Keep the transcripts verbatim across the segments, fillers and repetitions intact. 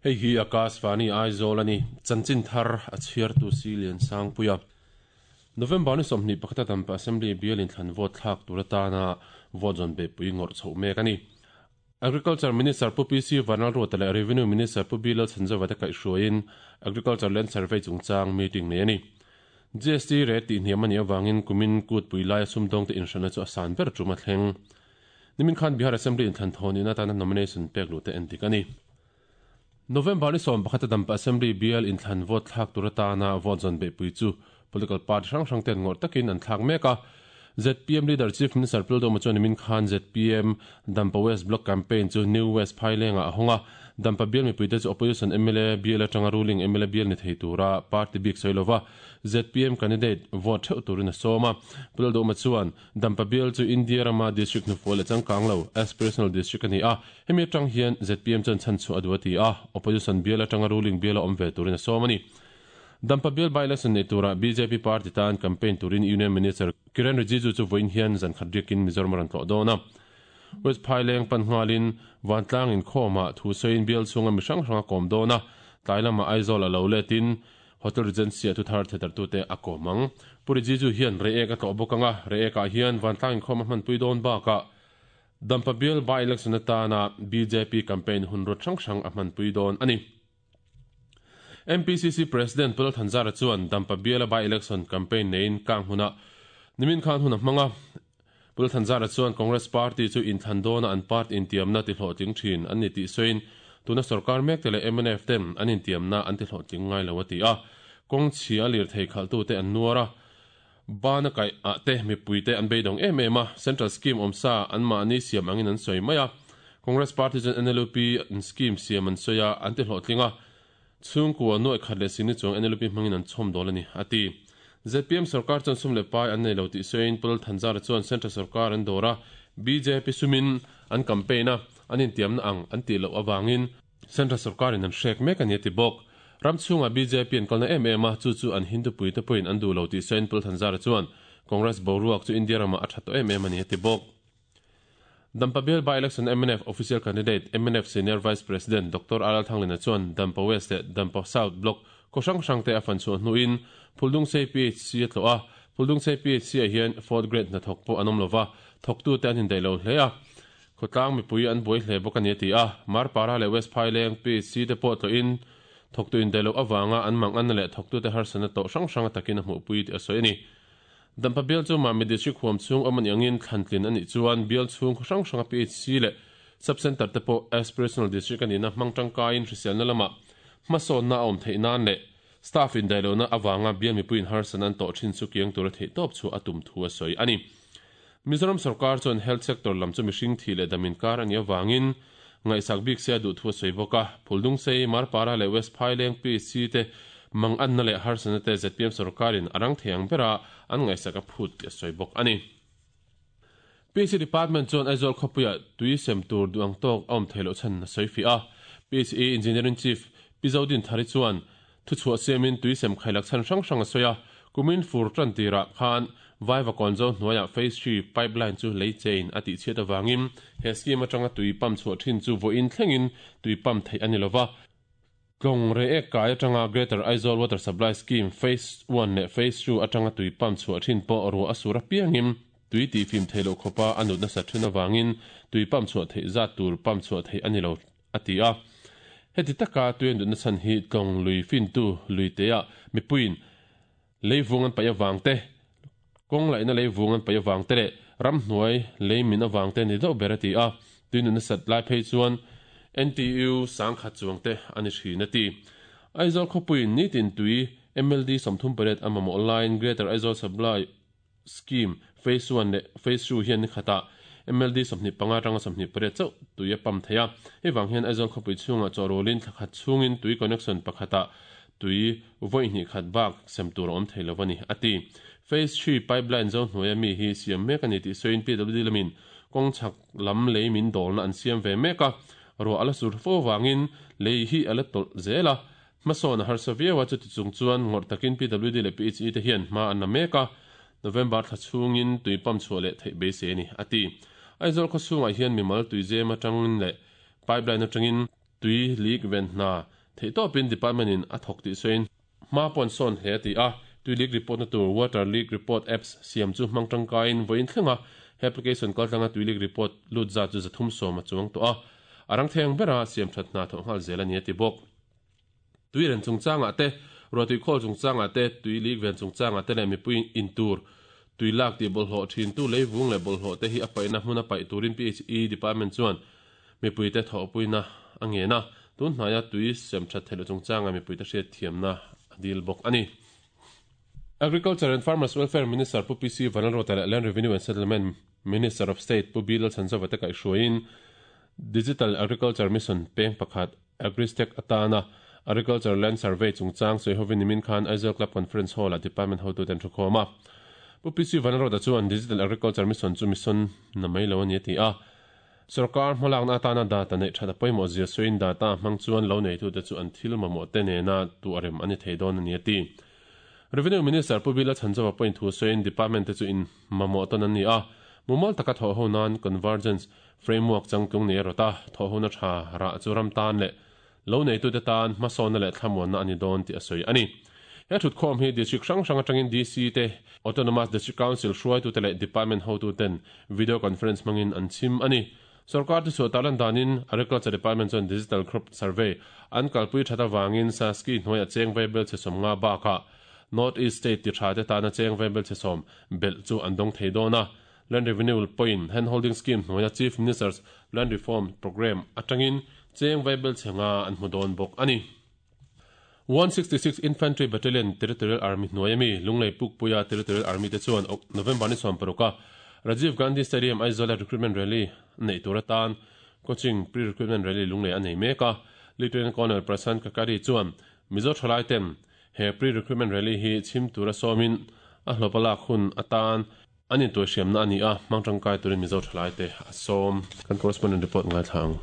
Hei hi Akashvani Aizawl ani chanchin thar a chhiar tu si lian sang puia November ni sawmhnih pakhata Dampa Assembly bial in thlan vote thlak tur atana vote zawn be pui ngawrh chhoh mek ani. Agriculture Minister Pu P C Vanlalruata leh Revenue Minister Pu B Lalchhanzova te kaihhruaiin Agriculture Land Survey chungchang meeting nei ani. G S T rate tih hniam ani awangin kumin kut pui laia sumdawng te inhranna chu a san ber tum a thleng. Nimin khan Bihar Assembly in thlan thawn in atana nomination pek lu te endik ani. November ni sawm pakhata Dampa Assembly bial in thlan vote thlak tur atana vote zawn be pui chu political party hrang hrang ten ngawrh takin an thlak mek a. Z P M leader Chief Minister Pu Lalduhoma chuan nimin khan Z P M Dampa West Block campaign chu New West Phailenga a hawng a. Dampa bial mipuite chu opposition M L A bial atanga ruling M L A bial ni thei tura party bik sawi lova Z P M candidate vote theuh turin a sawm a. Pu Lalduhoma chuan Dampa bial chu India rama district hnufual leh changkang lo aspirational district a ni a. Hemi atang hian Z P M chuan chhan chhuah a duh a ti a. Opposition bial atanga ruling bial a awm ve turin a sawm a ni. Dampa bial by-election nei tura B J P party tan campaign turin Union Minister Kiren Rijiju chu vawiin hian zan khat riakin Mizoram a rawn tlawh dawn a. West Phaileng pan nghalin Vantlang inkhawmah thu sawiin bial chhunga mi hrang hrang a kawm dawn a. Tlai lamah Aizawl a lo letin Hotel Regency a thu thar thetartute a kawm ang. Pu Rijiju hian Reiek a tlawh bawk ang a, Reiekah hian Vantlang inkhawm a hmanpui dawn bakah Dampa bial by-election atana B J P campaign hun rawt hrang hrang a hmanpui dawn a ni. M P C C President Pu Lalthanzara chuan Dampa biala by-election campaign neiin kang huna nimin khan hun a hmang a. Pu Lalthanzara chuan Congress Party chu inthlan dawna an party intiamna ti hlawhtling thin an ni tih sawiin tuna sarkar mek te leh M N F ten an intiamna an ti hlawhtling ngai lo a ti a. Kawng chhia lir thei khaltu te an nuar a, bana kaih ah te mipui te an beidawng em em a, Central Scheme awmsa an mahni siam angin an sawi mai a. Congress Party chuan N L U P an scheme siam an sawi a, an ti hlawhtling a. Chhungkua nuaih khat leh singni chuang N L U P hmangin an chhawm dawl a ni, a ti. Z P M sarkar chuan sum leh pai an nei lo tih sawiin Pu Lalthanzara chuan Central sarkar an dawr a, B J P sumin an campaign a, an intiamna ang an tih loh avangin Central sarkarin an hrek mek a ni a ti bawk. Ram chhungah B J P an kalna em em a, chu chu an Hindu puite pawhin an duh lo tih sawiin Pu Lalthanzara chuan Congress boruak chu India ramah a tha tawh em em a ni a ti bawk. Dampa bial by-election M N F official candidate M N F Senior Vice President Doctor R L Thanglina chuan Dampa West leh Dampa South Block khaw hrang hrang te a fan chhuah hnuin Phuldungsei P H C a tlawh a. Phuldungsei P H C ah hian fourth grade hnathawk pawh an awm lova, thawktu te an indaih lo hle a. Khawtlang mipui an buai hle bawk a ni a ti a. Marpara leh West Phaileng P H C te pawh tlawhin thawktu indaih loh avanga an mang anna leh thawktute harsatna tawh hrang hrang takin a hmuhpui tih a sawi a ni. Dampa bial chu Mami District huam chhung awm ani angin thlantlin ani chuan bial chhung khaw hrang hranga P H C leh Sub-Center te pawh aspirational district anihna hmang tangkaiin hriselna lamah hmasawnna a awm theih nan leh staff indaih lohna avanga bial mipuiin harsatna an tawh thin chu kiang tura theih tawp chu a tum thu a sawi a ni. Mizoram sarkar chuan health sector lam chu mihring thi leh damin kar ani awangin ngaihsak bik se a duh thu a sawi bawk a. Phuldungsei, Marpara leh West Phaileng P H C te mang anna leh harsatna te Z P M sarkarin a rang thei ang bera an ngaihsak a phut tih a sawi bawk a ni. P H C Department chuan Aizawl khawpuia tui sem tur duh ang tawk a awm thei loh chhan a sawi fih a. P H E Engineering Chief Pi Zodin Thari chuan thuchhuah siamin tui sem khailak chhan hrang hrang a sawi a. Kumin fur tan tirah khan Vaiva Kawnzo hnuaiah Phase three pipeline chu lei chein a tih chhiat avangin he scheme atanga tui pump chhuah thin chu vawiin thlengin tui pump theih a ni lova. Tlawng Reiek kai atanga Greater Aizawl Water Supply Scheme Phase one leh Phase two atanga tui pump chhuah thin pawh ruah a sur apiangin tui tih fim theih loh khawpa a nut nasa thin avangin tui pump chhuah theih zat tur pump chhuah theih a ni lo a ti a. Heti taka tui a nut na chhan hi tlawng lui fintu lui teah mipuiin leivung an paih awang te, kawng laihna leivung an paih awang te leh ramhnuai lei min awang te ni deuh ber a ti a. Tui nut nasat lai phei chuan N T U sangkhat chuang te a ni thin a ti. Aizawl khawpuiin nitin tui M L D sawmthum pariat a mamawh laiin Greater Aizawl Supply Scheme Phase one leh Phase two hian ni khatah M L D sawmhnih panga atanga sawmhnih pariat chauh tui a pump thei a. Hei vang hian Aizawl khawpui chhungah chawhrawlin thla khat chhungin tui connection pakhatah tui vawi hnih khat bak sem tur a awm thei lo a ni a ti. Phase three pipeline zo hnuaia mi hi siam mek a ni tih sawiin P W D lamin kawng chhak lam lei min dawlna an siam ve mek a. Ruah a la sur fo vangin lei hi a la tawlh zel a. Hmasawn a harsa viau a, chuti chung chuan ngawrh takin P W D leh P H E te hian hma an la mek a. November thla chhungin tui pump chhuah leh theih beisei a ni a ti. Aizawl khaw chhungah hian mimal tui zem atangin leh pipeline atangin tui leak ven hna Theihtawpin department in a thawk tih sawiin hma pawh an sawn hle a ti a. Tui leak report na tur Water Leak Report Apps siam chu hmang tangkaiin vawiin thlenga he application kaltlanga tui leak report lut zat chu zathum sawm a chuang tawh a, a rang thei ang bera siam that hna thawh nghal zel a ni a ti bawk. Tui ren chungchangah te, ruahtui khawl chungchangah te, tui leak ven chungchangah te leh mipui in tur tui lak tih bawlhhlawh thintu leivung leh bawlhhlawh te hi a paihna hmun a paih turin P H E Department chuan mipuite thawhpuina a ngen a, tun hnaia tui sem that theih loh chungchangah mipuite hriatthiamna a dil bawk a ni. Agriculture and Farmers Welfare Minister Pu P C Vanlalruata leh Land Revenue and Settlement Minister of State Pu B Lalchhanzova te kaihhruaiin Digital Agriculture Mission peng pakhat AgriStack atana Agriculture Land Survey chungchang sawihovin nimin khan Aizawl Club Conference Hall-ah Department hotuten thu khawm a. Pu P C Vanlalruata chuan Digital Agriculture Mission chu mission na mai lo a ni a ti a. Sorkar hmalakna atana data neih that a pawimawh zia sawiin data hmang chuan lo neitute chu an thil mamawh te nena tu a rem a ni thei dawn a ni a ti. Revenue Minister Pu B Lalchhanzova pawhin thu sawiin Department te chu in mamawh tawn an ni a, mumal taka thawh ho nan Convergence Framework changtlung nei a rawt a, thawh hona tha rah chu ram tan leh lo neitute tan hmasawnna leh thlamuanna a ni dawn tih a sawi a ni. He thutkhawm hi District hrang hrang atangin D C te, Autonomous District Council hruaitute leh Department hotuten video conference hmangin an chhim a ni. Sorkar thuchhuah tarlan danin Agriculture Department chuan Digital Crop Survey an kalpui that avangin SASCI hnuaiah cheng vaibel chhe sawm nga bakah North East State ti tha te tana cheng vaibel chhe sawm belh chu an dawng thei dawn a. Land Revenue pawhin Hand Holding Scheme hnuaia Chief Minister's Land Reform Programme atangin cheng vaibel chhe nga an hmu dawn bawk a ni. one sixty-six Infantry Battalion Territorial Army hnuaia mi Lunglei Pukpuia Territorial Army te chuan November ni sawm paruka Rajiv Gandhi Stadium Aizawl recruitment rally nei tur atan coaching pre-recruitment rally Lunglei a nei mek a. Lieutenant Colonel Prasant Kakari chuan Mizo thalai ten he pre-recruitment rally hi chhim tura sawmin a hlawpalak hun atan anin tuai hriamna ani a, hmang tangkai turin Mizo thalai te a sawm. Kan correspondent report ngai thlang.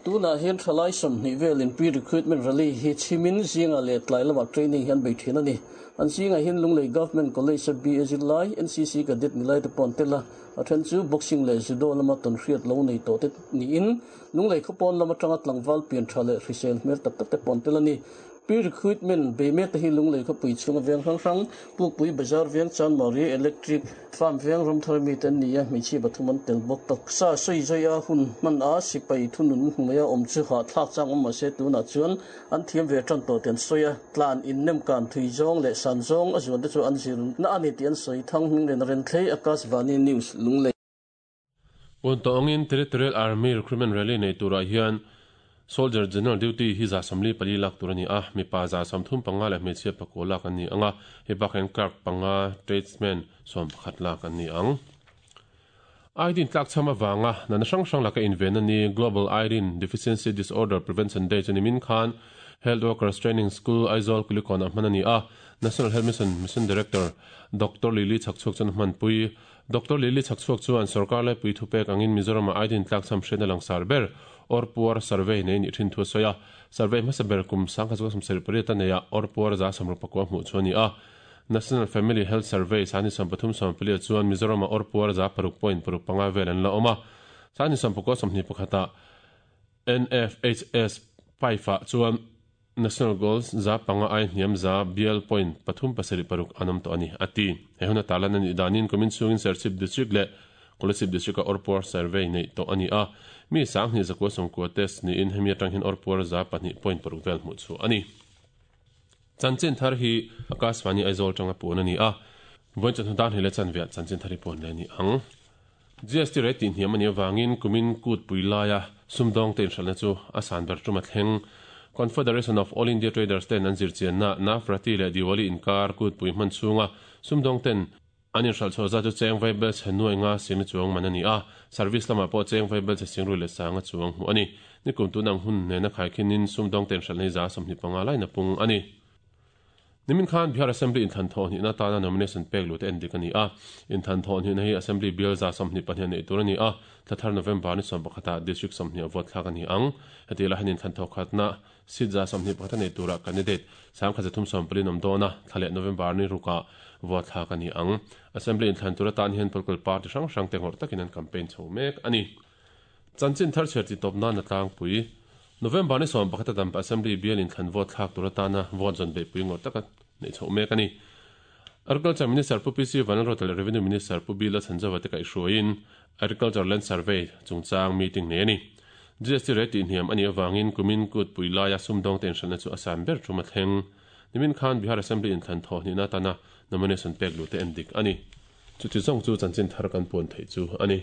Tuna hian thalai sawmhnih velin pre-recruitment rally hi chhimin zinga leh tlai lama training hian bei thin ani. An zinga hin Lunglei Government College B A zirlai, N C C cadet nilai te pawn tela a then chu boxing leh judo lama ton hriat lo nei to te niin Lunglei khawpawn lama tanga tlangval pian tha leh hrisel hmel tak tak te pawn tel ani. Pre-recruitment be me te hi Lunglei khawpui chhunga veng hrang hrang, Pukpui Bazar veng, Chanmari Electric Farm veng, Ramthar mi ten ni a, hmeichhia pathum an tel bawk. Tak sa sawi zai a hun hman a sipai thunun hnuaia awm chu ha thlak chang awm mahse tunah chuan an thiam ve tan tawh te an sawi a, tlan in nem kan thui zawng leh san zawng a zuan te chu an zir na ani tih an sawi. Thang hming len ren thlei, Akashvani News, Lunglei. Pun tawngin Territorial Army Recruitment Rally nei turah hian Soldier General Duty hi za samli pali lak tur ani a, mipa za samthum panga leh hmeichhia pakua lak an ni anga, hei bakah clerk panga, tradesman sawm pakhat lak an ni ang. Iodine tlak chama wanga nana hrang hrang laka inven ani Global Iodine Deficiency Disorder Prevention Day chu nimin khan Health Workers Training School Aizawl Kulikon a hman ani a. National Health Mission Mission Director Doctor Lily Chhakchhuak chuan hmanpui. Doctor Lily Chhakchhuak chuan sarkar lai pui thupek angin Mizoram iodine tlak cham hrena langsar ber or puar survey nei ni thin thu soya. Survey hmasa ber kum sangkha chu sam seri pariat aneia or puar za samru pakua hmu chu ani a. National Family Health Survey sani sam pathum sam pali chuan Mizoram or puar za paruk point paruk panga vel an la oma. Sani sam pakua samhni pakhata N F H S paifa chuan National Goals za panga ai hniam za bial point pathum pasari paruk anam to ani ati. He huna talan ani danin komin chungin Serchhip District le Kolasib District or puar survey nei to ani a, mi sang ni zakwa song ko test ni in hemi atang hin or puar za pahnih point paruk vel mu chu ani. Chanchin thar hi Akashvani Aizawl tanga pun ani a. Voin chan dan hele chan ve chanchin thari pon le ni ang. G S T rate tin hiam ani wangin kumin kut puilaya sumdong ten hranna chu asan ber tuma thleng. Confederation of All India Traders ten an zirchian na Navratri le Diwali inkar kut pui hman chunga sumdong ten anin hral chho za chu cheng vaibel chhe nuai nga sing chuang man ani a. Service lama pawh cheng vaibel chhe sing ru le sanga chuang hmu ani. Nikum tunang hun ne na khai khinin sumdong ten hral nei za sawmhnih panga lai na pung ani. Nimin khan Bihar Assembly in than thon hi na tana nomination pek lu te en dik ani a. In than thon hi na hi Assembly bill za sawmhnih pahnih nei tur ani a. Thlathar November ni sawm pakhata district sawmhnih a vote thlak ani ang. Heti la hanin than tho khatna seat za sawmhnih pakhat nei tura candidate sang kha zathum sawm pali nom dona. Thlale November ni ruka vote thlak ani ang. Assembly in than tura tan hian political party hrang hrang te ngor takin an campaign chho mek ani. Chanchin thar cher ti top na na tlang pui. November ni sawm pakhat a Dampa Assembly bial inthlan vote thlak tur atana vote zawn beihpui ngawrh taka neih chhoh mek a ni. Agriculture Minister Pu P C Vanlalruata leh Revenue Minister Pu Bila Chhanzova te kaihhruaiin Agriculture Land Survey chungchang meeting nei a ni. G S T rate tihhniam a nih avangin kumin kutpui laia sumdawng te inhranna chu a san ber tum a thleng. Nimin khan Bihar Assembly inthlan thawh hnihna atana nomination pek luh te en dik a ni. Chuti zawng chu chanchin thar kan puan theih chu a ni.